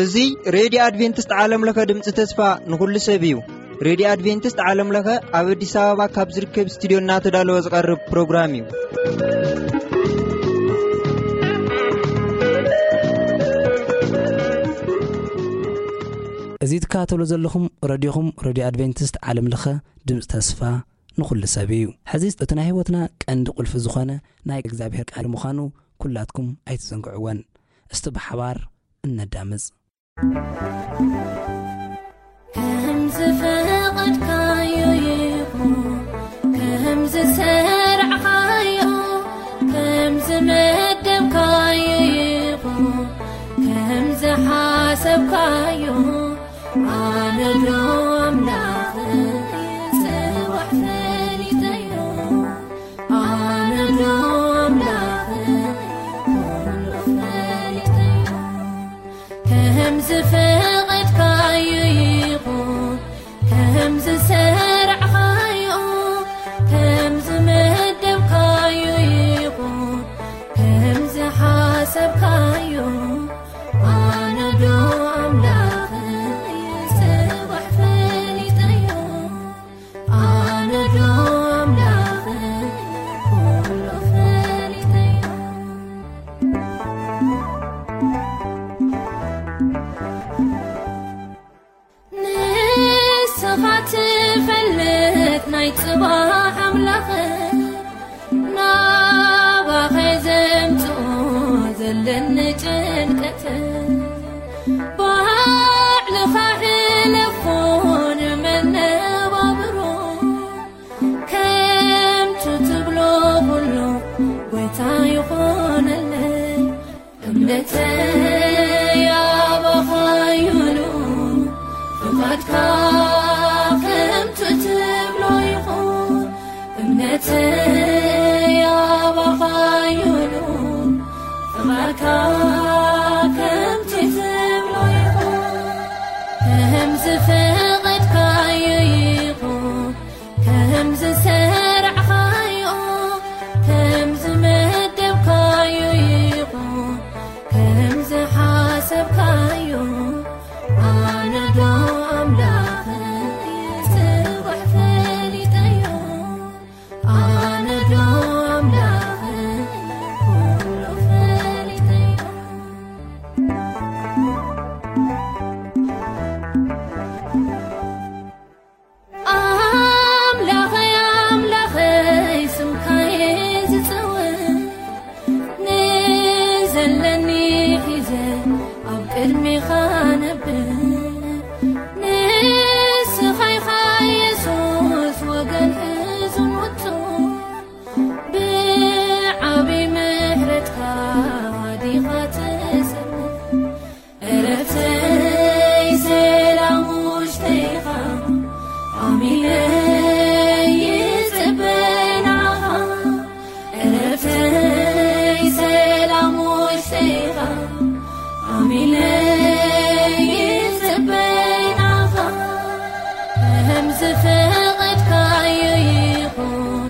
እዚ ሬድዮ ኣድቬንቲስት ዓለም ለኸ ድምፂ ተስፋ ንኹሉ ሰብ እዩ። ሬድዮ ኣድቬንቲስት ዓለም ለኸ ኣብ ኣዲስ ኣበባ ካብ ዝርከብ ስቱዲዮ እናተዳለወ ዝቐርብ ፕሮግራም እዩ። እዚ ትከታተሉ ዘለኹም ረድዮኹም ሬድዮ ኣድቬንቲስት ዓለም ለኸ ድምፂ ተስፋ ንኹሉ ሰብ እዩ። ሕዚ እቲ ናይ ህይወትና ቀንዲ ቁልፊ ዝኾነ ናይ እግዚኣብሔር ቃል ምዃኑ ኩላትኩም ኣይትዘንግዕወን። እስቲ ብሓባር እነዳምፅ። ከም ዝፈቐድካዮ ይኹን፣ ከም ዝሰርዕኻዮ፣ ከም ዝመደብካዮ ይኹን፣ ከም ዝሓሰብካዮ፣ ኣነ ዶ ኣምላኽ ጽባሕ ፈሊጠዮ፣ ኣነ ዶ ኣምላኽ ኩሉ ፈሊጠዮ። ከም ዝፈቐድካዮ ይኹን፣ ከም ዝሰርዕኻዮ፣ ከም ዝመደብካዮ ይኹን፣ ከም ዝሓሰብካዮ፣ ኣነ ዶ ኣምላኽ ጽባሕ ፈሊጠዮ፣ ኣነ ዶ ኣምላኽ ኩሉ ፈሊጠዮ። ንስኻ ትፈልጥ ናይ ጽባሕ ኣምላኽ፣ ናባኸ ዘምጽኦ ዘለኒ ጭንቀት፣ ባዕልኻ ሕለፎ ንመነባብሮ። ከምቱ ትብሎ ኩሉ ጎይታ ይኾነለይ። እምነተይ ኣባኻ ይኹን፣ ፍቓድካ ከምቱ ትብሎ ይኹን። እምነተይ ኣባኻ ይኹን፣ ፍቓድካ ከምቱ ትብሎ ይኹን። ከም ዝፈቐድካዮ ይኹን፣ ከም ዝሰርዕኻዮ፣ ከም ዝመደብካዮ ይኹን፣ ከም ዝሓሰብካዮ፣ ኣነ ዶ ኣምላኸይ ጽባሕ ፈሊጠዮ፣ ኣነ ዶ ኣምላኸይ ኩሉ ፈሊጠዮ። ኣምላኸይ፣ ኣምላኸይ፣ ስምካየ ዝጸውዕ፣ ንዘለኒ ሒዘ ኣብ ቅድሜኻ ነብር። ንስኻ ኢኻ የሱስ፣ ወገን ሕዙን ውጹዕ፣ ብዓቢ ምሕረትካ ዲኻ ተሰምር። ዕረፍተይ ሰላም ውሽጠይኻ ኣሚነ ይጽበ ናኻ። ዕረፍተይ ሰላም ውሽጠይኻ ኣሚነ ይጽበ ናኻ። ከም ዝፈቐድካዮ ይኹን፣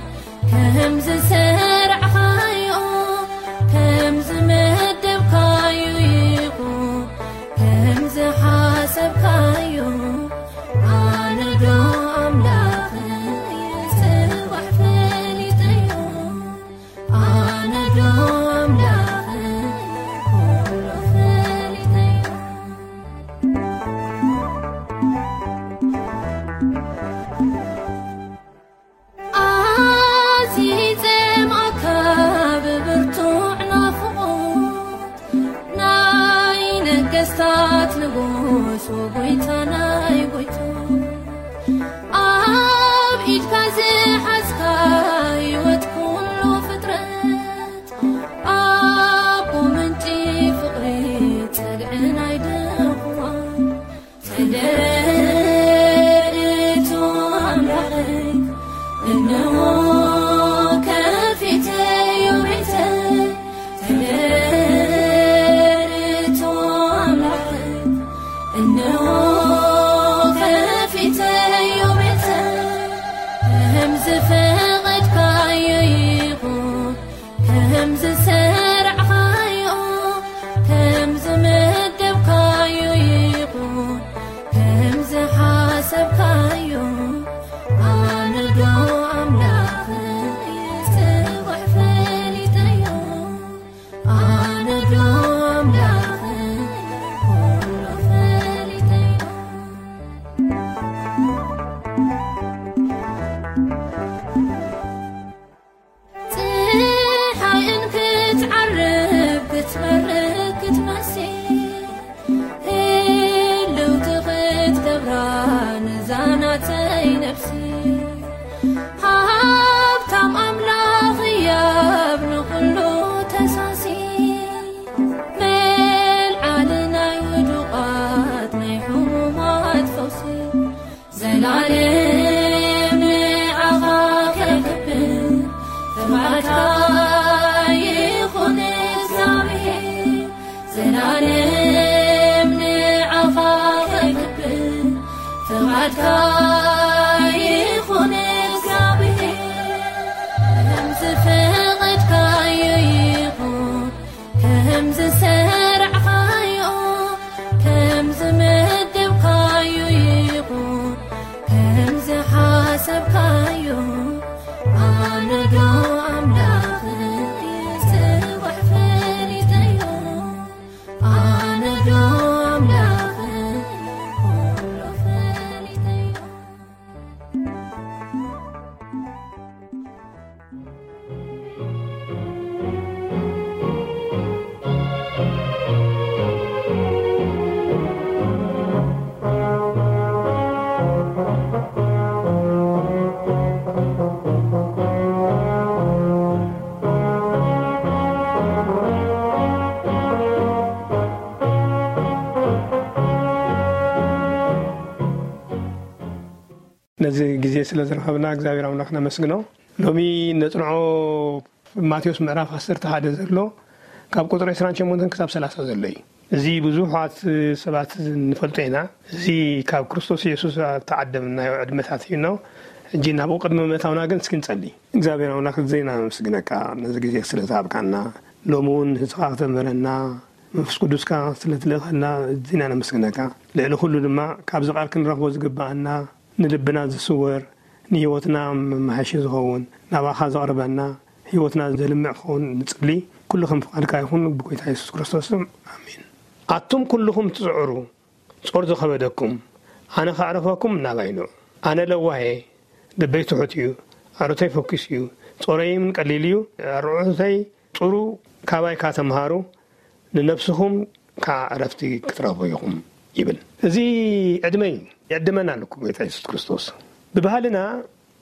ከም ዝሰርዕኻዮ፣ ከም ዝመደብካዮ ይኹን፣ ከም ዝሓሰብካዮ፣ ኣነ ዶ ኣምላኸይ ጽባሕ ፈሊጠዮ፣ ኣነ ዶ ኣምላኸይ ኩሉ ፈሊጠዮ። ኣዝየ ይጸምኣካ ብብርቱዕ ናፍቖት፣ ናይ ነገስታት ንጉስ ወጎይታ ናይ ጎይታ። ኣብ ኢድካ ዝሓዝካ ህይወት ኩሉ ፍጥረት፣ ኣቦ ምንጪ ፍቕሪ ጸግዒ ናይ ድኹማን። ተደረቱ ኣምላኸይ፣ እንሆ ከፊተዮ ቤተይ። ተደረቱ ኣምላኸይ፣ እንሆ ከፊተዮ ቤተይ። ከም ይኹን እግዚኣብሔር፣ ከም ዝፈቐድካዮ ይኹን፣ ከም ዝሰርዕካዮ፣ ከም ዝመደብካዮ ይኹን፣ ከም ዝሓሰብካዮ፣ ኣነ ዶ ኣምላኽ ጽባሕ ፈሊጠዮ? ኣነ ዶ ኣምላኽ ኩሉ ፈሊጠዮ? ነዚ ግዜ ስለ ዝረኸብና እግዚኣብሔር ኣምላኽ ነመስግኖ። ሎሚ ነጽንዖ ማቴዎስ ምዕራፍ ዓሰርተ ሓደ ዘሎ ካብ ቁጽሪ ዕስራን ሸሞንተን ክሳብ ሰላሳ ዘሎ እዩ። እዚ ብዙሓት ሰባት ንፈልጦ ኢና። እዚ ካብ ክርስቶስ የሱስ እተዓደምናዮ ዕድመታት እዩ ነው። ሕጂ ናብኡ ቅድሚ ምእታውና ግን እስኪ ንጸሊ። እግዚኣብሔር ኣምላኽ፣ እዚና ነመስግነካ ነዚ ግዜ ስለ ዝሃብካና፣ ሎሚ እውን ህዝኻ ክተምህረና፣ መንፈስ ቅዱስካ ስለ ትልእኸልና እዚና ነመስግነካ። ልዕሊ ኩሉ ድማ ካብዚ ቃል ክንረኽቦ ዝግብኣና፣ ንልብና ዝስወር፣ ንህይወትና መማሓሺ ዝኸውን፣ ናባኻ ዘቕርበና፣ ህይወትና ዘልምዕ ክኸውን ንጽሊ። ኩሉ ከም ፍቓድካ ይኹን፣ ብጎይታ የሱስ ክርስቶስ ስም፣ ኣሜን። ኣቱም ኩልኹም ትጽዕሩ፣ ጾር ዝኸበደኩም፣ ኣነ ከዕርፈኩም ናባይ ኑ። ኣነ ለዋህ እየ፣ ልበይ ትሑት እዩ፣ ኣሮተይ ፈኲስ እዩ፣ ጾረይም ቀሊል እዩ፣ ኣርዑተይ ጽሩ፣ ካባይ ከኣ ተምሃሩ፣ ንነፍስኹም ከኣ ዕረፍቲ ክትረኽቡ ኢኹም ይብል። እዚ ዕድመ እዩ፣ ይዕድመና ኣሎ እኮ ጎይታ የሱስ ክርስቶስ። ብባህልና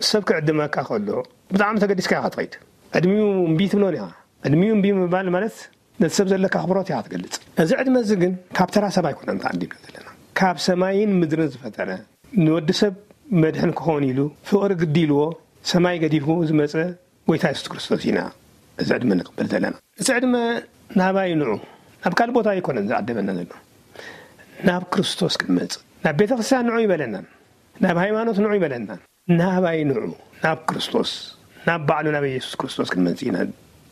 ሰብ ክዕድመካ ከሎ ብጣዕሚ ተገዲስካ ኢኻ ትኸይድ። ዕድሚኡ እምቢ ትብሎን ኢኻ። ዕድሚኡ እምቢ ምባል ማለት ነቲ ሰብ ዘለካ ኣኽብሮት ኢኻ ትገልጽ። እዚ ዕድመ እዚ ግን ካብ ተራ ሰብ ኣይኮነን ተዓዲምና ዘለና። ካብ ሰማይን ምድርን ዝፈጠረ፣ ንወዲ ሰብ መድሕን ክኸውን ኢሉ ፍቕሪ ግዲ ኢልዎ ሰማይ ገዲፉ ዝመጸ ጎይታ የሱስ ክርስቶስ ኢና እዚ ዕድመ ንቕበል ዘለና። እቲ ዕድመ ናባይ ንዑ፣ ናብ ካልእ ቦታ ኣይኮነን ዝዓደመና ዘሎ። ናብ ክርስቶስ ክንመጽእ፣ ናብ ቤተ ክርስቲያን ንዑ ይበለናን፣ ናብ ሃይማኖት ንዑ ይበለናን። ናባይ ንዑ፣ ናብ ክርስቶስ፣ ናብ ባዕሉ ናብ የሱስ ክርስቶስ ክንመጽእ ኢና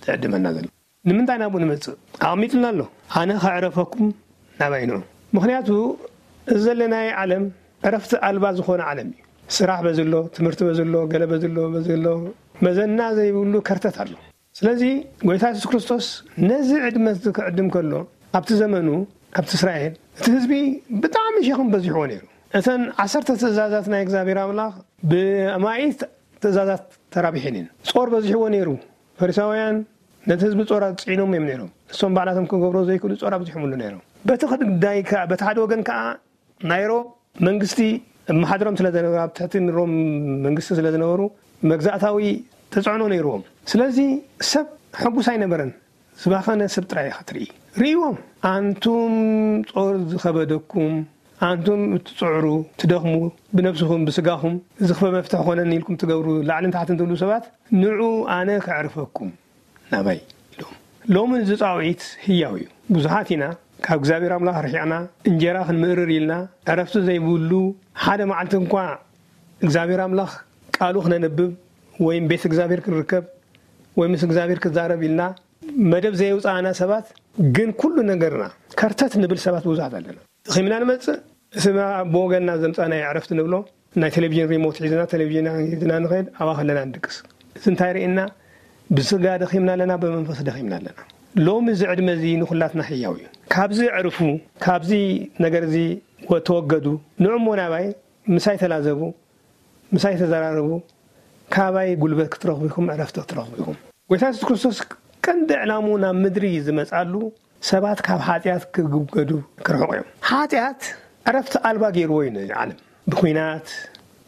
ዝዕድመና ዘሎ። ንምንታይ ናብኡ ንመጽእ? ኣቐሚጥልና ኣሎ። ኣነ ከዕረፈኩም ናባይ ንዑ። ምኽንያቱ እዚ ዘለናዮ ዓለም ዕረፍቲ ኣልባ ዝኾነ ዓለም እዩ። ስራሕ በዚ ኣሎ፣ ትምህርቲ በዚ ኣሎ፣ ገለ በዚ ኣሎ፣ በዚ ኣሎ፣ መዘና ዘይብሉ ከርተት ኣሎ። ስለዚ ጎይታ የሱስ ክርስቶስ ነዚ ዕድመ እዚ ክዕድም ከሎ፣ ኣብቲ ዘመኑ፣ ኣብቲ እስራኤል፣ እቲ ህዝቢ ብጣዕሚ ሸኽም በዚሕዎ ነይሩ። እተን ዓሰርተ ትእዛዛት ናይ እግዚኣብሔር ኣምላኽ ብኣማኢት ትእዛዛት ተራቢሐን እየን። ጾር በዚሕዎ ነይሩ። ፈሪሳውያን ነቲ ህዝቢ ጾር ኣጽዒኖም እዮም ነይሮም። እሶም ባዕላቶም ክገብሮ ዘይክእሉ ጾር ኣብዚሖምሉ ነይሮም። በቲ ጉዳይ ከኣ፣ በቲ ሓደ ወገን ከኣ ናይ ሮም መንግስቲ እመሓድሮም ስለ ዝነበሩ፣ ኣብ ትሕቲ ሮም መንግስቲ ስለ ዝነበሩ፣ መግዛእታዊ ተጽዕኖ ነይርዎም። ስለዚ ሰብ ሕጉስ ኣይነበረን። ዝባኸነ ሰብ ጥራይ ኢኻ ትርኢ። ርእይዎም፣ ኣንቱም ጾር ዝኸበደኩም፣ ኣንቱም እትጽዕሩ፣ ትደኽሙ፣ ብነብስኹም፣ ብስጋኹም፣ እዚ ክፈ መፍትሒ ኮነኒ ኢልኩም ትገብሩ፣ ላዕልን ታሕትን ትብሉ ሰባት፣ ንዑ ኣነ ከዕርፈኩም ናባይ ኢሎም። ሎሚ እዚ ጻውዒት ህያው እዩ። ብዙሓት ኢና ካብ እግዚኣብሔር ኣምላኽ ርሒቕና፣ እንጀራ ክንምእርር ኢልና፣ ዕረፍቲ ዘይብሉ፣ ሓደ መዓልቲ እንኳ እግዚኣብሔር ኣምላኽ ቃሉ ክነንብብ ወይም ቤት እግዚኣብሔር ክንርከብ ወይ ምስ እግዚኣብሔር ክዛረብ ኢልና መደብ ዘየውጻእና ሰባት ግን ኩሉ ነገርና ከርተት ንብል ሰባት ብዙሓት ኣለና። ደኺምና ንመጽእ፣ እቲ ብወገንና ዘምጻእናዮ ዕረፍቲ ንብሎ፣ ናይ ቴሌቪዥን ሪሞት ሒዝና፣ ቴሌቪዥን ሒዝና ንኸይድ፣ ኣብኣ ከለና ንድቅስ። እዚ እንታይ ርእየና? ብስጋ ደኺምና ኣለና፣ ብመንፈስ ደኺምና ኣለና። ሎሚ እዚ ዕድመ እዚ ንኹላትና ህያው እዩ። ካብዚ ዕርፉ፣ ካብዚ ነገር እዚ ወ-፣ ተወገዱ፣ ንዑ እሞ ናባይ፣ ምሳይ ተላዘቡ፣ ምሳይ ተዘራረቡ፣ ካባይ ጉልበት ክትረኽቡ ኢኹም፣ ዕረፍቲ ክትረኽቡ ኢኹም። ጎይታ የሱስ ክርስቶስ ቀንዲ ዕላምኡ ናብ ምድሪ ዝመጻሉ ሰባት ካብ ሓጢኣት ክግገዱ ክርሕቑ እዮም። ሓጢኣት ዕረፍቲ ኣልባ ገይርዎ እዩ ነዚ ዓለም። ብኹናት፣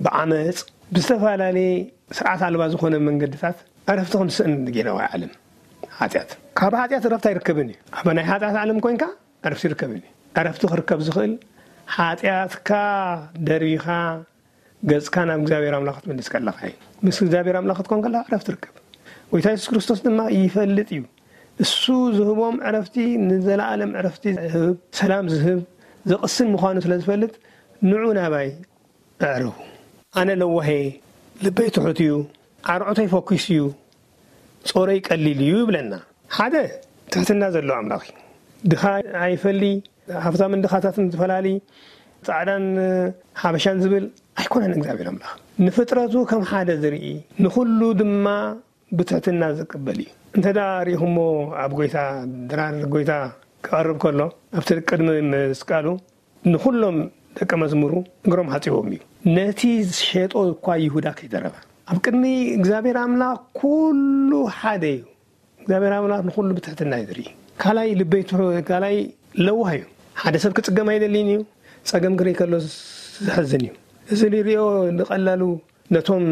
ብዓመጽ፣ ብዝተፈላለየ ስርዓት ኣልባ ዝኾነ መንገድታት ዕረፍቲ ክንስእን ገይርዋ ዓለም። ሓጢኣት፣ ካብ ሓጢኣት ዕረፍቲ ኣይርከብን እዩ። ኣብ ናይ ሓጢኣት ዓለም ኮንካ ዕረፍቲ ይርከብን እዩ። ዕረፍቲ ክርከብ ዝኽእል ሓጢኣትካ ደርቢኻ ገጽካ ናብ እግዚኣብሔር ኣምላኽ ክትምልስ ከለኻ እዩ። ምስ እግዚኣብሔር ኣምላኽ ክትኮን ከለኻ ዕረፍቲ ትርከብ። ጎይታ የሱስ ክርስቶስ ድማ ይፈልጥ እዩ። እሱ ዝህቦም ዕረፍቲ ንዘለኣለም ዕረፍቲ ዝህብ፣ ሰላም ዝህብ፣ ዘቕስን ምዃኑ ስለ ዝፈልጥ፣ "ንዑ ናባይ፣ ኣዕርፉ። ኣነ ለዋሄ፣ ልበይ ትሑት እዩ፣ ኣርዑተይ ፈኲስ እዩ፣ ጾረይ ቀሊል እዩ ይብለና። ሓደ ትሕትና ዘለዎ ኣምላኽ እዩ። ድኻ ኣይፈሊ፣ ሃብታምን ድኻታትን ዝፈላሊ፣ ጻዕዳን ሓበሻን ዝብል ኣይኮነን እግዚኣብሔር ኣምላኽ። ንፍጥረቱ ከም ሓደ ዝርኢ፣ ንኹሉ ድማ ብትሕትና ዝቅበል እዩ። እንተ ደኣ ርኢኹሞ፣ ኣብ ጎይታ ድራር ጎይታ ክቐርብ ከሎ፣ ኣብቲ ቅድሚ ምስቃሉ ንኹሎም ደቀ መዝሙሩ እግሮም ሓጺቦም እዩ። ነቲ ዝሸጦ እኳ ይሁዳ ከይተረፈ። ኣብ ቅድሚ እግዚኣብሔር ኣምላኽ ኩሉ ሓደ እዩ። እግዚኣብሔር ኣምላኽ ንኹሉ ብትሕትና እዩ ዝርኢ። ካልኣይ ልበይ ትሑ-፣ ካልኣይ ለዋህ እዩ። ሓደ ሰብ ክጽገም ኣይደልን እዩ። ጸገም ክርኢ ከሎ ዘሕዝን እዩ። እዚ ንሪኦ ንቐላሉ ነቶም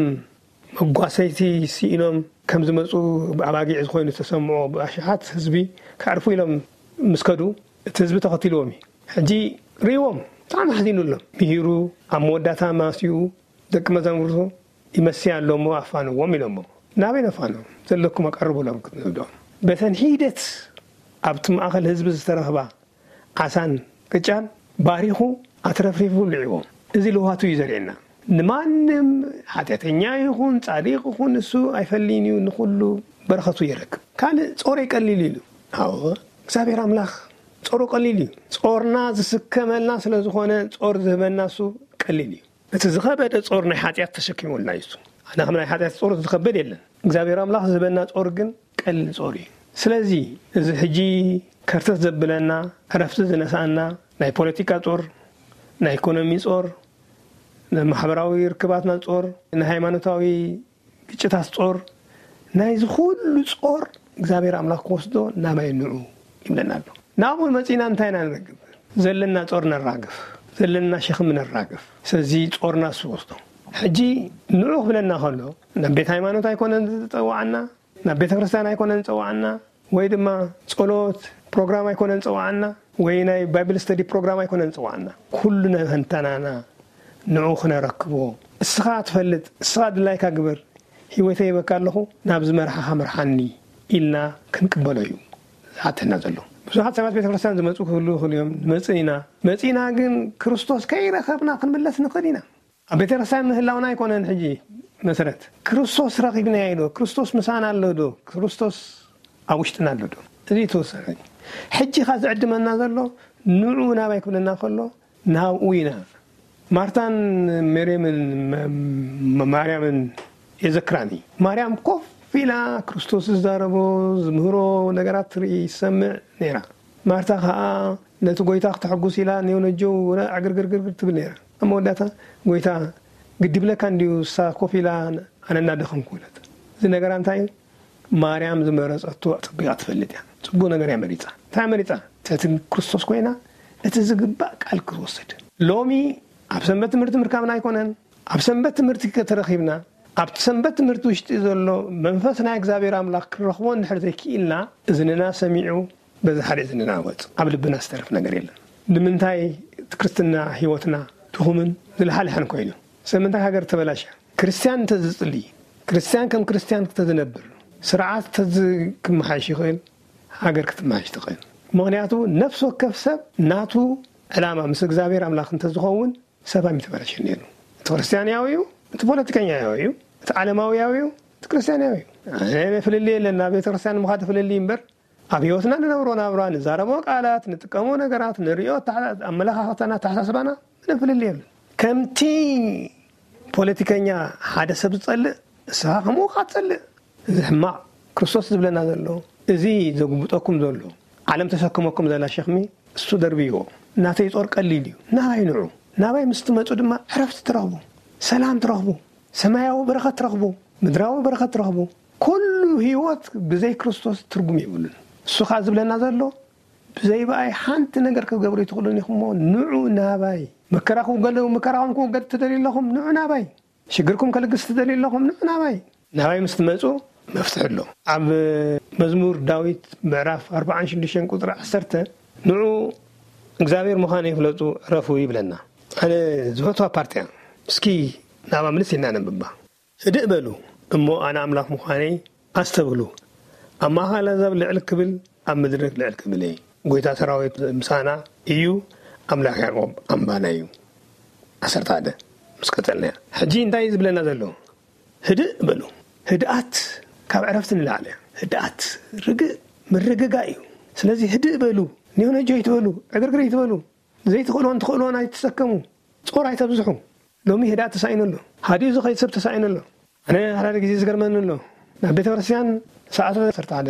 መጓሰይቲ ስኢኖም ከም ዝመጹ ብኣባጊዕ ዝኾይኑ ዝተሰምዖ ብኣሽሓት ህዝቢ ከዕርፉ ኢሎም ምስ ከዱ እቲ ህዝቢ ተኸቲልዎም እዩ። ሕጂ ርእይዎም ብጣዕሚ ሓዚኑሎም። ምሂሩ ኣብ መወዳእታ ማስኡ ደቂ መዛሙርቱ ይመሲ ኣሎ እሞ ኣፋንዎም ኢሎሞ። ናበይ ነፋኖም? ዘለኩም ኣቀርቡሎም ክትንብዶም። በተን ሒደት ኣብቲ ማእከል ህዝቢ ዝተረኽባ ዓሳን ቅጫን ባሪኹ ኣትረፍሪፉ ልዕዎም። እዚ ልውሃቱ እዩ ዘርእየና። ንማንም ሓጢኣተኛ ይኹን ጻዲቕ ይኹን እሱ ኣይፈልይን እዩ፣ ንኹሉ በረኸቱ የረክብ። ካልእ ጾረይ ቀሊል ኢሉ። ኣዎ እግዚኣብሔር ኣምላኽ ጾሩ ቀሊል እዩ። ጾርና ዝስከመልና ስለ ዝኾነ ጾር ዝህበና እሱ ቀሊል እዩ። እቲ ዝኸበደ ጾር ናይ ሓጢኣት ተሸኪሙልና እዩ እሱ። ኣነ ከም ናይ ሓጢኣት ጾር ዝኸበድ የለን። እግዚኣብሔር ኣምላኽ ዝህበና ጾር ግን ቀሊል ጾር እዩ። ስለዚ እዚ ሕጂ ከርተት ዘብለና፣ ዕረፍቲ ዝነሳና ናይ ፖለቲካ ጾር፣ ናይ ኢኮኖሚ ጾር፣ ናይ ማሕበራዊ ርክባትና ጾር፣ ናይ ሃይማኖታዊ ግጭታት ጾር፣ ናይዚ ኩሉ ጾር እግዚኣብሔር ኣምላኽ ክወስዶ ናባይ ንዑ ይብለና ኣሎ። ናብኡ መጺና እንታይ ኢና ንረክብ? ዘለና ጾር ነራግፍ፣ ዘለና ሸኽሚ ነራግፍ። ስለዚ ጾርና እሱ ወስዶ። ሕጂ ንዑ ክብለና ከሎ ናብ ቤት ሃይማኖት ኣይኮነን ዝጸዋዓና፣ ናብ ቤተ ክርስቲያን ኣይኮነን ዝጸዋዓና፣ ወይ ድማ ጸሎት ፕሮግራም ኣይኮነን ዝጸዋዓና፣ ወይ ናይ ባይብል ስተዲ ፕሮግራም ኣይኮነን ዝጸዋዓና። ኩሉ ነንተናና ንዑ ክነረክቦ። እስኻ ትፈልጥ፣ እስኻ ድላይካ ግበር፣ ህይወተይ ሂበካ ኣለኹ፣ ናብዚ መርሓኻ ምርሓኒ ኢልና ክንቅበሎ እዩ ዝሓተና ዘሎ። ብዙሓት ሰባት ቤተ ክርስቲያን ዝመጹ ክህልዉ ይኽእሉ እዮም። ንመጽእ ኢና። መጺእና ግን ክርስቶስ ከይረኸብና ክንምለስ ንኽእል ኢና። ኣብ ቤተ ክርስቲያን ምህላውና ኣይኮነን ሕጂ መሰረት። ክርስቶስ ረኺብናዮ ዶ? ክርስቶስ ምሳና ኣሎ ዶ? ክርስቶስ ኣብ ውሽጥና ኣሎ ዶ? እዚ ተወሰነ። ሕጂ ኸ ዝዕድመና ዘሎ ንዑ ናባይ ክብለና ከሎ ናብኡ ኢና። ማርታን ሜርየምን መ-፣ መ-፣ ማርያምን የዘክራኒ። ማርያም ኮፍ ኢላ ክርስቶስ ዝዛረቦ ዝምህሮ ነገራት ትርኢ፣ ትሰምዕ ነይራ። ማርታ ኸኣ ነቲ ጐይታ ክተሐጉስ ኢላ ኔው ነጀው ዕግርግርግር ትብል ነይራ። ኣብ መወዳእታ ጐይታ ግዲ ይብለካ እንድዩ፣ እሳ ኮፍ ኢላ ኣነ እናደኸምኩ በለት። እዚ ነገራ እንታይ እዩ? ማርያም ዝመረጸቶ ኣጸቢቓ ትፈልጥ እያ። ጽቡቕ ነገር እያ መሪጻ። እንታይ መሪጻ? ትሕቲ ክርስቶስ ኮይና እቲ ዝግባእ ቃል ክትወስድ። ሎሚ ኣብ ሰንበት ትምህርቲ ምርካብና ኣይኮነን። ኣብ ሰንበት ትምህርቲ ከተረኺብና፣ ኣብቲ ሰንበት ትምህርቲ ውሽጢ ዘሎ መንፈስ ናይ እግዚኣብሔር ኣምላኽ ክንረኽቦ እንድሕር ዘይክኢልና፣ እዝንና ሰሚዑ በዚ ሓደ እዝንና ወጽ፣ ኣብ ልብና ዝተርፍ ነገር የለን። ንምንታይ እቲ ክርስትና ህይወትና ድኹምን ዝለሓልሐን ኮይኑ? ስለምንታይ ሃገር ተበላሽያ? ክርስትያን እንተዝጽሊ፣ ክርስትያን ከም ክርስትያን እንተዝነብር፣ ስርዓት እንተዝ-፣ ክመሓየሽ ይኽእል፣ ሃገር ክትመሓየሽ ትኽእል። ምኽንያቱ ነፍሲ ወከፍ ሰብ ናቱ ዕላማ ምስ እግዚኣብሔር ኣምላኽ እንተዝኸውን ሰብ ኣይምተበላሸን ነይሩ። እቲ ክርስትያናዊ እዩ፣ እቲ ፖለቲከኛዊ እዩ፣ እቲ ዓለማውያዊ እዩ፣ እቲ ክርስትያናዊ እዩ። ኣነ ፍልልይ የለን፣ ናብ ቤተ ክርስትያን ምኻድ ፍልልይ እምበር ኣብ ህይወትና ንነብሮ ናብራ፣ ንዛረቦ ቃላት፣ ንጥቀሞ ነገራት፣ ንሪኦ ኣተሓ-፣ ኣመለኻኽታና፣ ኣተሓሳስባና ምንም ፍልልይ የለን። ከምቲ ፖለቲከኛ ሓደ ሰብ ዝጸልእ፣ ንስኻ ከምኡ ኢኻ ትጸልእ። እዚ ሕማቕ። ክርስቶስ ዝብለና ዘሎ፣ እዚ ዘጉብጠኩም ዘሎ፣ ዓለም ተሰክመኩም ዘላ ሸኽሚ እሱ ደርብይዎ። ናተይ ጾር ቀሊል እዩ። ናባይ ንዑ። ናባይ ምስ ትመጹ ድማ ዕረፍቲ ትረኽቡ፣ ሰላም ትረኽቡ፣ ሰማያዊ በረኸት ትረኽቡ፣ ምድራዊ በረኸት ትረኽቡ። ኩሉ ህይወት ብዘይ ክርስቶስ ትርጉም የብሉን። እሱ ኸኣ ዝብለና ዘሎ፣ ብዘይ ብኣይ ሓንቲ ነገር ክትገብሩ ኣይትኽእሉን ኢኹም እሞ ንዑ ናባይ። መከራኹም ገለ-፣ መከራኹም ክወገድ ትደልዩ ኣለኹም፣ ንዑ ናባይ። ሽግርኩም ከልግስ ትደልዩ ኣለኹም፣ ንዑ ናባይ። ናባይ ምስ ትመጹ መፍትሒ ኣሎ። ኣብ መዝሙር ዳዊት ምዕራፍ ኣርብዓን ሽዱሽተን ቁጽሪ ዓሰርተ፣ ንዑ እግዚኣብሔር ምዃነይ ፍለጡ፣ ዕረፉ ይብለና። ኣነ ዝፈትዋ ፓርቲ እያ። እስኪ ናብኣ ምልስ ኢልና ነንብባ። ህድእ በሉ እሞ ኣነ ኣምላኽ ምዃነይ ኣስተብህሉ። ኣብ ማእከል ኣህዛብ ልዕል ክብል፣ ኣብ ምድሪ ልዕል ክብል እየ። ጐይታ ሰራዊት ምሳና እዩ፣ ኣምላኽ ያዕቆብ ኣምባና እዩ። ዓሰርተ ሓደ። ምስ ቀጸልና ሕጂ እንታይ እዩ ዝብለና ዘሎ? ህድእ በሉ። ህድኣት ካብ ዕረፍቲ ንላዕሊ እያ። ህድኣት ርግእ ምርግጋእ እዩ። ስለዚ ህድእ በሉ። ኒሆነጆ ይትበሉ፣ ዕግርግር ይትበሉ። ዘይትኽእልዎን ትኽእልዎን ኣይትሰከሙ። ጾር ኣይተብዝሑ። ሎሚ ህድኣት ተሳኢኑ ኣሎ። ሃዲኡ ዝኸይድ ሰብ ተሳኢኑ ኣሎ። ኣነ ሓደ ግዜ ዝገርመኒ ኣሎ። ናብ ቤተ ክርስቲያን ሰዓት ዓሰርተ ሓደ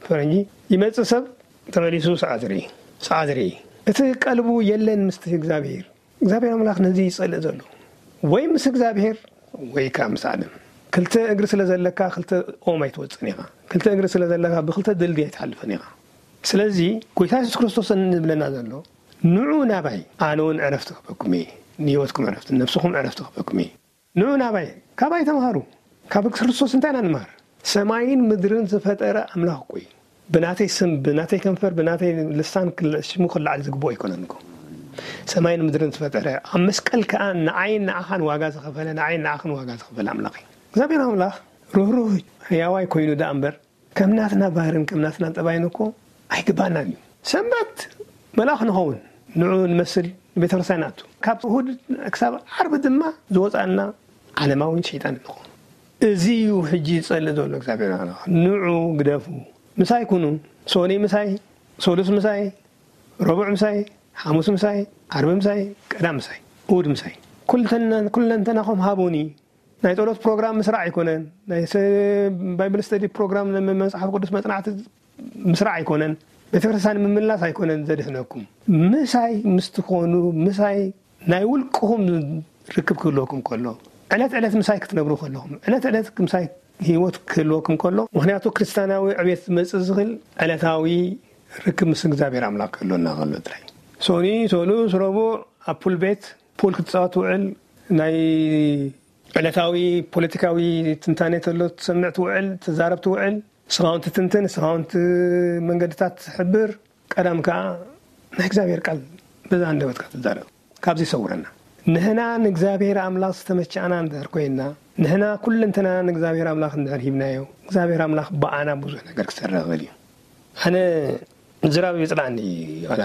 ፈረንጂ ይመጽእ ሰብ ተመሊሱ ሰዓት ርኢ፣ ሰዓት ርኢ። እቲ ቀልቡ የለን ምስቲ እግዚኣብሔር። እግዚኣብሔር ኣምላኽ ነዚ ይጸልእ ዘሎ። ወይ ምስ እግዚኣብሔር ወይ ከኣ ምስ ዓለም። ክልተ እግሪ ስለ ዘለካ ክልተ ኦም ኣይትወጽእን ኢኻ። ክልተ እግሪ ስለ ዘለካ ብክልተ ድልድይ ኣይትሓልፍን ኢኻ። ስለዚ ጎይታ የሱስ ክርስቶስ እንብለና ዘሎ ንዑ ናባይ ኣነ እውን ዕረፍቲ ክህበኩም እየ። ንህይወትኩም ዕረፍቲ፣ ንነፍስኹም ዕረፍቲ ክህበኩም እየ። ንዑ ናባይ፣ ካባይ ተምሃሩ። ካብ ክርስቶስ እንታይ ኢና ንመሃር? ሰማይን ምድርን ዝፈጠረ ኣምላኽ እኮ እዩ። ብናተይ ስም፣ ብናተይ ከንፈር፣ ብናተይ ልሳን ክል- ሽሙ ክለዓል ዝግብኦ ኣይኮነን እኮ። ሰማይን ምድርን ዝፈጠረ፣ ኣብ መስቀል ከኣ ንዓይን ንዓኻን ዋጋ ዝኸፈለ፣ ንዓይን ንዓኽን ዋጋ ዝኸፈለ ኣምላኽ እዩ። እግዚኣብሔር ኣምላኽ ርህሩህ ህያዋይ ኮይኑ ደኣ እምበር ከም ናትና ባህርን ከም ናትና ጠባይን እኮ ኣይግባእናን እዩ። ሰንበት መልኣኽ ንኸውን፣ ንዑ ንመስል፣ ንቤተ ክርስቲያን ንኣቱ። ካብ እሁድ ክሳብ ዓርቢ ድማ ዝወጻና ዓለማውን ሸይጣን ንኸውን። እዚ እዩ ሕጂ ዝጸልእ ዘሎ እግዚኣብሔር ኣምላኽ። ንዑ ግደፉ፣ ምሳይ ኩኑ፣ ሶኒ ምሳይ፣ ሶሉስ ምሳይ፣ ረቡዕ ምሳይ፣ ሓሙስ ምሳይ፣ ዓርቢ ምሳይ፣ ቀዳም ምሳይ፣ እሁድ ምሳይ። ኩልተና- ኩለንተናኹም ሃቡኒ። ናይ ጸሎት ፕሮግራም ምስራዕ ኣይኮነን። ናይ ሰ- ባይብል ስተዲ ፕሮግራም፣ መጽሓፍ ቅዱስ መጽናዕቲ ምስራዕ ኣይኮነን። ቤተክርስትያን ምምላስ ኣይኮነን ዘድሕነኩም። ምሳይ ምስ ትኾኑ፣ ምሳይ ናይ ውልቅኹም ርክብ ክህልወኩም ከሎ፣ ዕለት ዕለት ምሳይ ክትነብሩ ከለኹም፣ ዕለት ዕለት ምሳይ ህይወት ክህልወኩም ከሎ፣ ምኽንያቱ ክርስትያናዊ ዕቤት ዝመጽእ ዝኽእል ዕለታዊ ርክብ ምስ እግዚኣብሔር ኣምላኽ ክህልወና ከሎ ጥራይ። ሶኒ፣ ሶሉስ፣ ረቡዕ ኣብ ፑል ቤት ፑል ክትጻወት ትውዕል፣ ናይ ዕለታዊ ፖለቲካዊ ትንታኔ ተሎ ትሰምዕ ትውዕል፣ ትዛረብ ትውዕል። ንስኻ እውን ትትንትን፣ ንስኻ እውን ት- መንገድታት ትሕብር። ቀዳም ከኣ ናይ እግዚኣብሔር ቃል በዛ ኣንደበትካ ትዛረብ። ካብዚ ይሰውረና። ንሕና ንእግዚኣብሔር ኣምላኽ ዝተመቸኣና እንድሕር ኮይንና፣ ንሕና ኩለንተናና ንእግዚኣብሔር ኣምላኽ እንድሕር ሂብናዮ፣ እግዚኣብሔር ኣምላኽ ብኣና ብዙሕ ነገር ክሰርሕ ይኽእል እዩ። ኣነ ምዝራብ ይጽልኣኒ። ዋላ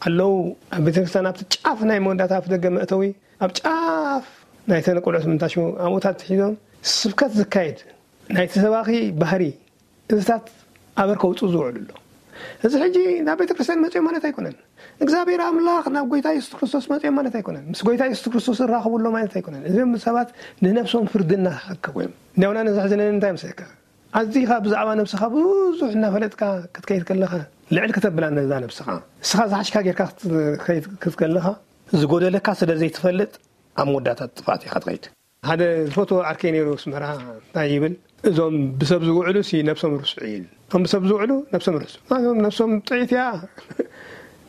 ኣለዉ ኣብ ቤተክርስትያን ኣብቲ ጫፍ ናይ መወዳእታ ኣፍ ደገ መእተዊ፣ ኣብ ጫፍ ናይተን ቆልዑት ምንታሽሙ ኣብኡታት ሒዞም ስብከት ዝካየድ ናይቲ ሰባኺ ባህሪ እዚታት ኣበር ከውፅኡ ዝውዕሉ ኣሎ። እዚ ሕጂ ናብ ቤተክርስትያን መፅኦም ማለት ኣይኮነን። እግዚኣብሔር ኣምላኽ ናብ ጎይታ የሱስ ክርስቶስ መፅኦም ማለት ኣይኮነን። ምስ ጎይታ የሱስ ክርስቶስ ዝራኸቡ ኣሎ ማለት ኣይኮነን። እዚም ሰባት ንነብሶም ፍርዲ እናሓከቡ እዮም። እንዲያውና ነዘሕዝነኒ እንታይ ምስለካ? ኣዚኻ ብዛዕባ ነብስኻ ብዙሕ እናፈለጥካ ክትከይድ ከለኻ፣ ልዕል ከተብላ ነዛ ነብስኻ፣ እስኻ ዝሓሽካ ጌርካ ክትከይድ ክትከለኻ፣ ዝጎደለካ ስለ ዘይትፈልጥ ኣብ መወዳእታ ጥፍኣት ኢኻ ትኸይድ። ሓደ ዝፈትዎ ዓርከይ ነይሩ ኣስመራ፣ እንታይ ይብል? እዞም ብሰብ ዝውዕሉ ሲ ነብሶም ርስዑ ይብል። እቶም ብሰብ ዝውዕሉ ነብሶም ርስዑ። እዞም ነብሶም ጥዒት እያ፣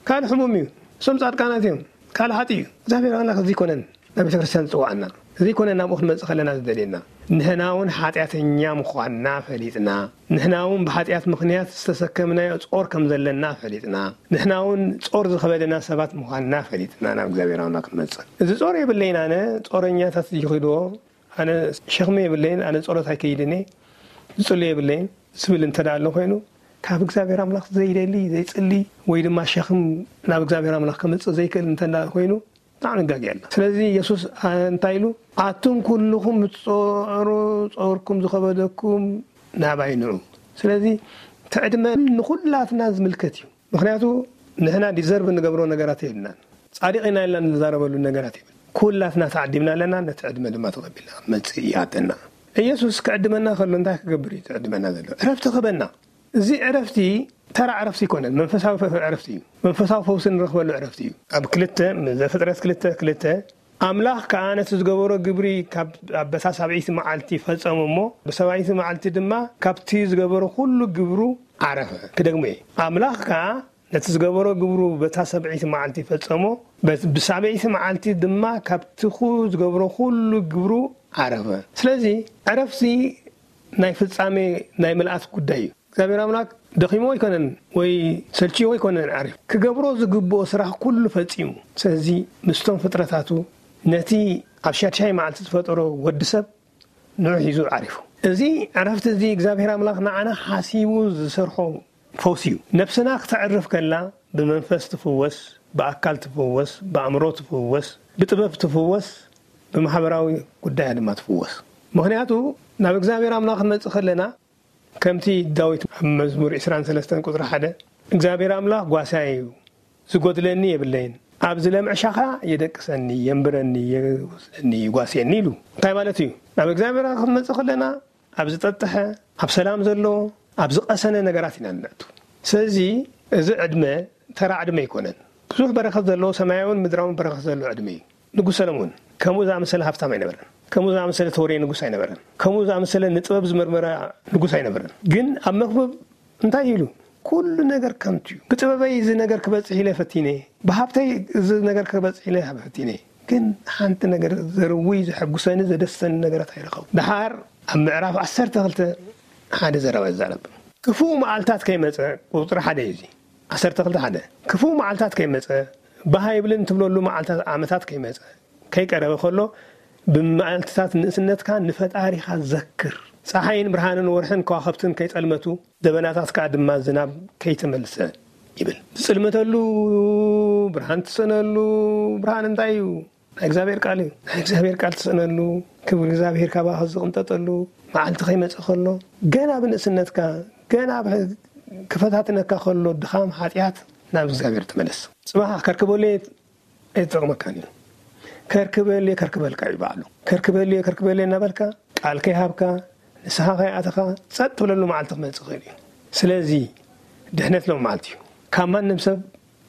ካልእ ሕሙም እዩ። እሶም ጻድቃናት እዮም፣ ካልእ ሓጢ እዩ። እግዚኣብሔር ኣምላኽ እዚ ይኮነን ናብ ቤተ ክርስቲያን ዝጽዋዕና፣ እዚ ይኮነን ናብኡ ክንመጽእ ከለና ዝደልየና። ንሕና እውን ሓጢኣተኛ ምዃንና ፈሊጥና፣ ንሕና እውን ብሓጢኣት ምኽንያት ዝተሰከምናዮ ጾር ከም ዘለና ፈሊጥና፣ ንሕና እውን ጾር ዝኸበደና ሰባት ምዃንና ፈሊጥና ናብ እግዚኣብሔር ኣምላኽ ክንመጽእ። እዚ ጾር የብለይን ኣነ፣ ጾረኛታት ይኺድዎ፣ ኣነ ሸኽሚ የብለይን፣ ኣነ ጸሎት ኣይከይድን እየ፣ ዝጽሉ የብለይን ዝብል እንተ ደኣ ኣሎ ኮይኑ፣ ካብ እግዚኣብሔር ኣምላኽ ዘይደሊ፣ ዘይጽሊ፣ ወይ ድማ ሸኽም ናብ እግዚኣብሔር ኣምላኽ ከምጽእ ዘይክእል እንተ ደኣ ኮይኑ፣ ብጣዕሚ ጋጊ ኣላ። ስለዚ የሱስ እንታይ ኢሉ? ኣቱም ኩልኹም እትጸዕሩ ጸርኩም ዝኸበደኩም ናባይ ንዑ። ስለዚ ትዕድመ ንኹላትና ዝምልከት እዩ። ምኽንያቱ ንሕና ዲዘርቭ እንገብሮ ነገራት የብልናን። ጻድቕ ኢና ኢልና እንዛረበሉ ነገራት የብል። ኩላትና ተዓዲምና ኣለና፣ ነቲ ዕድመ ድማ ተቐቢልና መጽእ ይኣተና። ኢየሱስ ክዕድመና ከሎ እንታይ ክገብር እዩ ትዕድመና ዘሎ? ዕረፍቲ ክህበና። እዚ ዕረፍቲ ተራ ዕረፍቲ ኣይኮነን፣ መንፈሳዊ ፈ- ዕረፍቲ እዩ። መንፈሳዊ ፈውሲ ንረኽበሉ ዕረፍቲ እዩ። ኣብ ክልተ ዘፍጥረት ክልተ ክልተ ኣምላኽ ከኣ ነቲ ዝገበሮ ግብሪ ካብ ኣበሳ ሳብዒቲ መዓልቲ ፈጸሞ እሞ ብሰብዓይቲ መዓልቲ ድማ ካብቲ ዝገበሮ ኩሉ ግብሩ ዓረፈ። ክደግሞ እየ። ኣምላኽ ከኣ ነቲ ዝገበሮ ግብሩ በታ ሰብዒቲ መዓልቲ ፈጸሞ፣ በት- ብሳብዒቲ መዓልቲ ድማ ካብቲ ኩ- ዝገብሮ ኩሉ ግብሩ ዓረፈ። ስለዚ ዕረፍቲ ናይ ፍጻሜ ናይ ምልኣት ጉዳይ እዩ። እግዚኣብሔር ኣምላክ ደኺሞ ኣይኮነን ወይ ሰልችዮ ኣይኮነን ዓሪፍ። ክገብሮ ዝግብኦ ስራሕ ኩሉ ፈጺሙ። ስለዚ ምስቶም ፍጥረታቱ ነቲ ኣብ ሻድሻይ መዓልቲ ዝፈጠሮ ወዲ ሰብ ንዑ ሒዙ ዓሪፉ። እዚ ዕረፍቲ እዚ እግዚኣብሔር ኣምላኽ ንዓና ሓሲቡ ዝሰርሖ ፈውሲ እዩ። ነብስና ክተዕርፍ ከላ ብመንፈስ ትፍወስ፣ ብኣካል ትፍወስ፣ ብኣእምሮ ትፍወስ፣ ብጥበብ ትፍወስ፣ ብማሕበራዊ ጉዳያ ድማ ትፍወስ። ምኽንያቱ ናብ እግዚኣብሔር ኣምላኽ ክንመጽእ ከለና ከምቲ ዳዊት ኣብ መዝሙር ዕስራን ሰለስተን ቁጽሪ ሓደ እግዚኣብሔር ኣምላኽ ጓሳይ እዩ፣ ዝጎድለኒ የብለይን፣ ኣብ ዝለምዕ ሻኻ የደቅሰኒ፣ የንብረኒ፣ የውስደኒ፣ ይጓስየኒ ኢሉ። እንታይ ማለት እዩ? ናብ እግዚኣብሔር ክንመጽእ ከለና ኣብ ዝጠጥሐ፣ ኣብ ሰላም ዘሎ፣ ኣብ ዝቐሰነ ነገራት ኢና ንነእቱ። ስለዚ እዚ ዕድመ ተራ ዕድመ ኣይኮነን። ብዙሕ በረኸት ዘለዎ፣ ሰማያውን ምድራውን በረኸት ዘለዎ ዕድመ እዩ። ንጉስ ሰለሞን ከምኡ ዝኣመሰለ ሃብታም ኣይነበረን። ከምኡ ዝኣመሰለ ተወሬ ንጉስ ኣይነበረን። ከምኡ ዝኣመሰለ ንጥበብ ዝመርመረ ንጉስ ኣይነበረን። ግን ኣብ መክብብ እንታይ ኢሉ? ኩሉ ነገር ከንቱ እዩ። ብጥበበይ እዚ ነገር ክበጽሕ ኢለ ፈቲነ፣ ብሃብተይ እዚ ነገር ክበጽሕ ኢለ ፈቲነ፣ ግን ሓንቲ ነገር ዘርውይ፣ ዘሐጉሰኒ፣ ዘደስተኒ ነገራት ኣይረኸቡ። ደሓር ኣብ ምዕራፍ ዓሰርተ ክልተ ሓደ ዘረባ ይዛረብ። ክፉእ መዓልታት ከይመጸ፣ ቁጽሪ ሓደ እዩ እዚ። ዓሰርተ ክልተ ሓደ። ክፉእ መዓልታት ከይመጸ፣ ባህ ኣይብልን ትብለሉ መዓልታት፣ ዓመታት ከይመጸ፣ ከይቀረበ ከሎ፣ ብመዓልትታት ንእስነትካ ንፈጣሪኻ ዘክር። ጸሓይን ብርሃንን ወርሕን ከዋኽብትን ከይጸልመቱ፣ ደበናታት ከኣ ድማ ዝናብ ከይተመልሰ ይብል። ዝጽልመተሉ ብርሃን ትስእነሉ። ብርሃን እንታይ እዩ? ናይ እግዚኣብሔር ቃል እዩ። ናይ እግዚኣብሔር ቃል ትስእነሉ፣ ክብሪ እግዚኣብሔር ካባኻ ዝቕንጠጠሉ መዓልቲ ከይመጽእ ከሎ፣ ገና ብንእስነትካ፣ ገና ብ-፣ ክፈታትነካ ከሎ ድኻም፣ ሓጢኣት፣ ናብ እግዚኣብሔር ተመለስ። ጽባሕ ከርክበሉ እየ ኣይትጠቕመካን እዩ። ከርክበልየ ከርክበልካ እዩ ባዕሉ። ከርክበልየ ከርክበልየ እናበልካ ቃል ከይሃብካ ንስኻ ከይኣተኻ ጸጥ ትብለሉ መዓልቲ ክመጽእ ይኽእል እዩ። ስለዚ ድሕነት ሎም መዓልቲ እዩ። ካብ ማንም ሰብ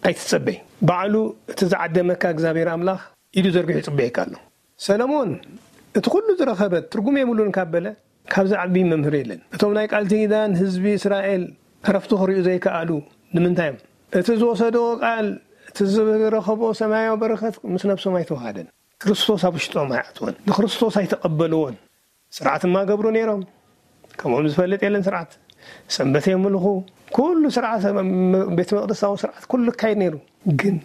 ኣይትጸበይ። ባዕሉ እቲ ዝዓደመካ እግዚኣብሔር ኣምላኽ ኢዱ ዘርጊሑ ይጽበየካ ኣሎ። ሰለሞን እቲ ኩሉ ዝረኸበ ትርጉም የብሉን ካብ በለ ካብዚ ዓቢ መምህር የለን። እቶም ናይ ቃል ኪዳን ህዝቢ እስራኤል ዕረፍቲ ክርእዩ ዘይከኣሉ ንምንታይ እዮም? እቲ ዝወሰድዎ ቃል፣ እቲ ዝረኸብዎ ሰማያዊ በረኸት ምስ ነብሶም ኣይተዋሃደን። ክርስቶስ ኣብ ውሽጦም ኣይኣትወን። ንክርስቶስ ኣይተቐበልዎን። ስርዓት እማ ገብሩ ነይሮም። ከምኦም ዝፈልጥ የለን ስርዓት። ሰንበት የምልኹ። ኩሉ ስርዓት፣ ቤተ መቕደሳዊ ስርዓት ኩሉ ይካየድ ነይሩ። ግን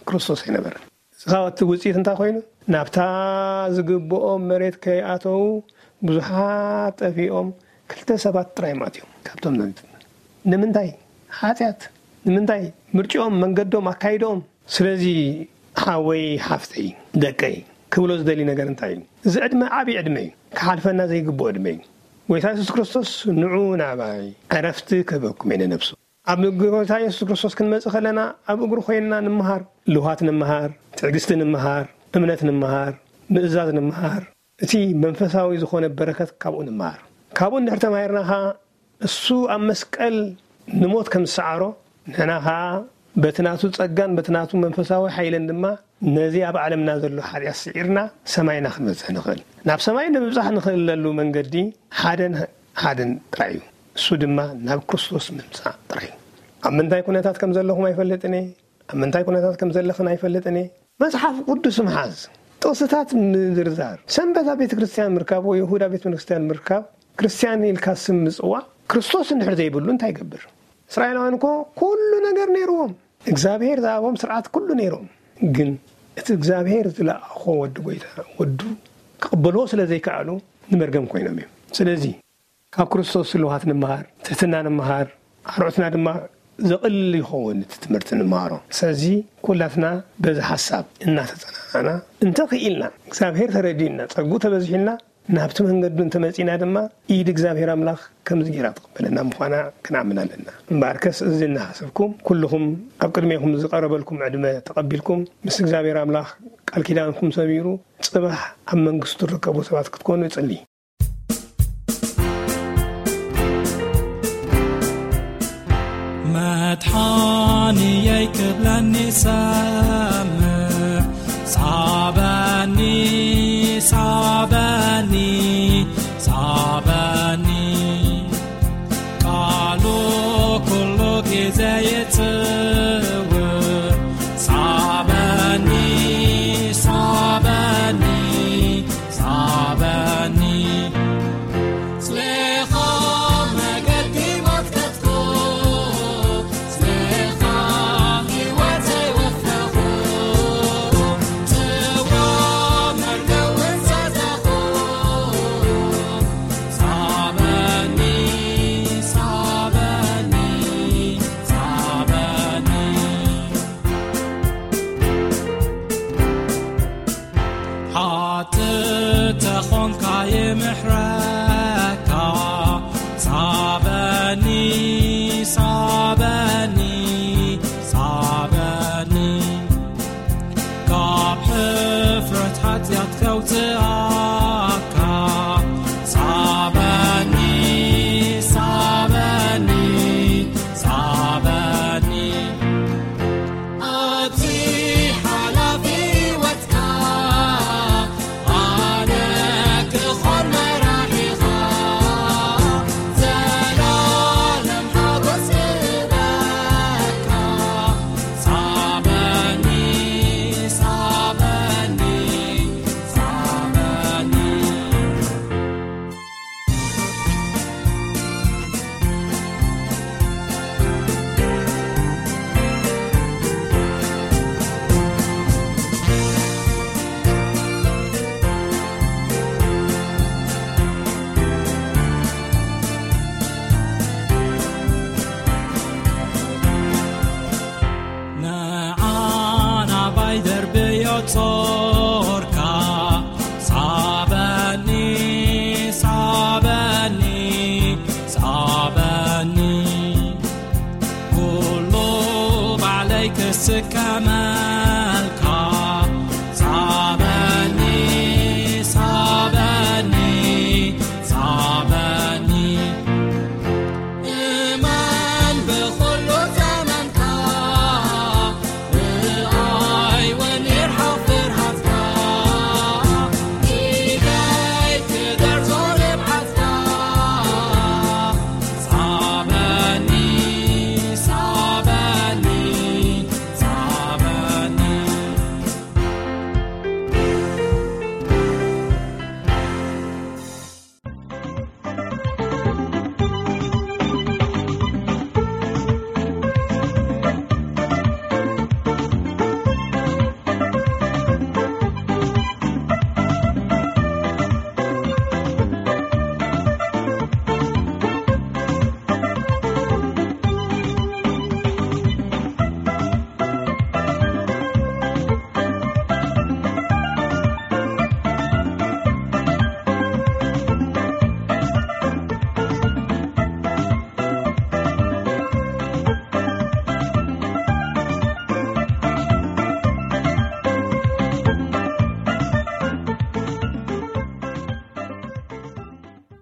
ክርስቶስ ኣይነበረን። እዚ ኻብ እቲ ውጽኢት እንታይ ኮይኑ? ናብታ ዝግብኦም መሬት ከይኣተዉ ብዙሓት ጠፊኦም፣ ክልተ ሰባት ጥራይ እዮም ኣትዮም ካብቶም ነቢያት። ንምንታይ? ሓጢኣት። ንምንታይ? ምርጭኦም፣ መንገዶም፣ ኣካይዶም። ስለዚ ሓወይ፣ ሓፍተይ፣ ደቀይ ክብሎ ዝደሊ ነገር እንታይ እዩ? እዚ ዕድመ ዓብዪ ዕድመ እዩ። ክሓልፈና ዘይግብኦ ዕድመ እዩ። ጎይታ የሱስ ክርስቶስ፣ "ንዑ ናባይ፣ ዕረፍቲ ክህበኩም እየ ንነብሱ።" ኣብ ጎይታ የሱስ ክርስቶስ ክንመጽእ ከለና፣ ኣብ እግሩ ኮይንና ንምሃር፣ ልውሃት ንምሃር፣ ትዕግስቲ ንምሃር፣ እምነት ንምሃር፣ ምእዛዝ ንምሃር፣ እቲ መንፈሳዊ ዝኾነ በረከት ካብኡ ንምሃር። ካብኡ እንድሕር ተማሂርና ኸኣ፣ እሱ ኣብ መስቀል ንሞት ከም ዝሰዓሮ፣ ንሕና ኸኣ በቲ ናቱ ጸጋን በቲ ናቱ መንፈሳዊ ሓይልን ድማ ነዚ ኣብ ዓለምና ዘሎ ሓጢኣት ስዒርና ሰማይና ክንበጽሕ ንኽእል። ናብ ሰማይ ንምብጻሕ ንኽእለሉ መንገዲ ሓደን ሓደን ጥራይ እዩ። እሱ ድማ ናብ ክርስቶስ ምምጻእ ጥራይ እዩ። ኣብ ምንታይ ኩነታት ከም ዘለኹም ኣይፈልጥን እየ። ኣብ ምንታይ ኩነታት ከም ዘለኽን ኣይፈልጥን እየ። መጽሓፍ ቅዱስ ምሓዝ፣ ጥቕስታት ምዝርዛር፣ ሰንበት ኣብ ቤተ ክርስቲያን ምርካብ ወይ ይሁዳ ቤተ ክርስቲያን ምርካብ፣ ክርስቲያን ኢልካ ስም ምጽዋዕ፣ ክርስቶስ እንድሕር ዘይብሉ እንታይ ይገብር? እስራኤላውያን እኮ ኩሉ ነገር ነይርዎም። እግዚኣብሔር ዝሃቦም ስርዓት ኩሉ ነይሮም። ግን እቲ እግዚኣብሔር ዝለኣኾ ወዲ ጎይታ፣ ወዱ ክቕበልዎ ስለ ዘይከኣሉ ንመርገም ኮይኖም እዮም። ስለዚ ካብ ክርስቶስ ስልዋት ንምሃር፣ ትሕትና ንምሃር፣ ኣርዑትና ድማ ዘቕልል ይኸውን እቲ ትምህርቲ ንምሃሮ። ስለዚ ኩላትና በዚ ሓሳብ እናተጸናናዕና እንተኽኢልና፣ እግዚኣብሔር ተረዲእና፣ ጸግኡ ተበዚሑልና፣ ናብቲ መንገዱ እንተመጺእና ድማ ኢድ እግዚኣብሔር ኣምላኽ ከምዚ ገይራ ትቕበለና ምዃና ክንኣምን ኣለና። እምበኣርከስ እዚ እናሓሰብኩም ኩልኹም ኣብ ቅድሜኹም ዝቐረበልኩም ዕድመ ተቐቢልኩም ምስ እግዚኣብሔር ኣምላኽ ቃል ኪዳንኩም ሰሚሩ ጽባሕ ኣብ መንግስቱ ትርከቡ ሰባት ክትኮኑ እጽሊ። መድሓንየይ ክብለኒ ሰምዕ፣ ሳበኒ፣ ሳበኒ፣ ሳበኒ። ቃሉ ኩሉ ግዜ ይጽውዕ፣ ሳበኒ፣ ሳበኒ፣ ሳበኒ። ስሌኻ መገዲ መትከትኩ፣ ስሌኻ ህይወተይ ወፈኹ፣ ጽዋ መርገውን ሰተኹ። ምሕረትካ ሳበኒ፣ ሳበኒ፣ ሳበኒ። ካብ ሕፍረት ሓጢኣት ከውፅኣካ ሳበኒ፣ ሳበኒ፣ ሳበኒ። ኣብዚ ሓላፊ ህይወትካ ኣነ ክኾን መራሒኻ፣ ዘላለም ሓጎስ ክህበካ። ሳበኒ፣ ሳበኒ፣ ሳበኒ። ንዓ ናባይ ደርብዮ ጾርካ፣ ሳበኒ፣ ሳበኒ፣ ሳበኒ። ኩሉ ባዕለይ ክስከመ